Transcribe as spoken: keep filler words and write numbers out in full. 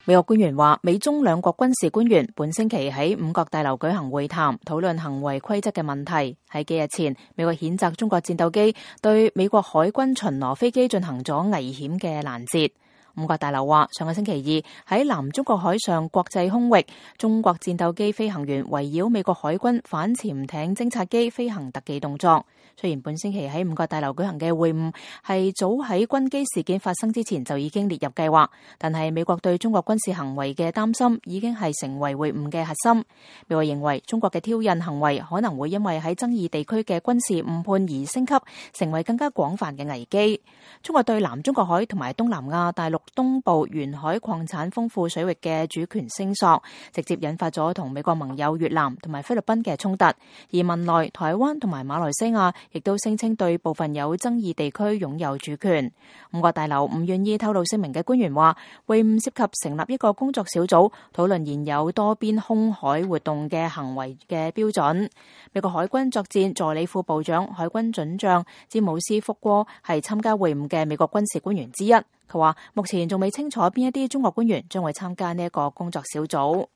美國官員話，美中兩國軍事官員本星期喺五角大樓舉行會談，討論行為規則嘅問題。喺幾日前，美國譴責中國戰鬥機對美國海軍巡邏飛機進行咗危險嘅攔截。五角大樓話，上個星期二喺南中國海上國際空域，中國戰鬥機飛行員圍繞美國海軍反潛艇偵察機飛行特技動作。雖然本星期喺五角大樓舉行嘅會晤係早喺軍機事件發生之前就已經列入計劃，但係美國對中國軍事行為嘅擔心已經係成為會晤嘅核心。美國認為中國嘅挑釁行為可能會因為喺爭議地區嘅軍事誤判而升級，成為更加廣泛嘅危機。中國對南中國海同埋東南亞大陸東部沿海礦產豐富水域嘅主權聲索，直接引發咗同美國盟友越南同埋菲律賓嘅衝突。而文萊、台灣同埋馬來西亞亦都聲稱對部分有爭議地區擁有主權。五角大樓唔願意透露姓名嘅官員話，會晤涉及成立一個工作小組，討論現有多邊空海活動嘅行為嘅標準。美國海軍作戰助理副部長、海軍准將詹姆斯福戈係參加會晤嘅美國軍事官員之一。佢話目前仲未清楚邊一啲中國官員將會參加呢一個工作小組。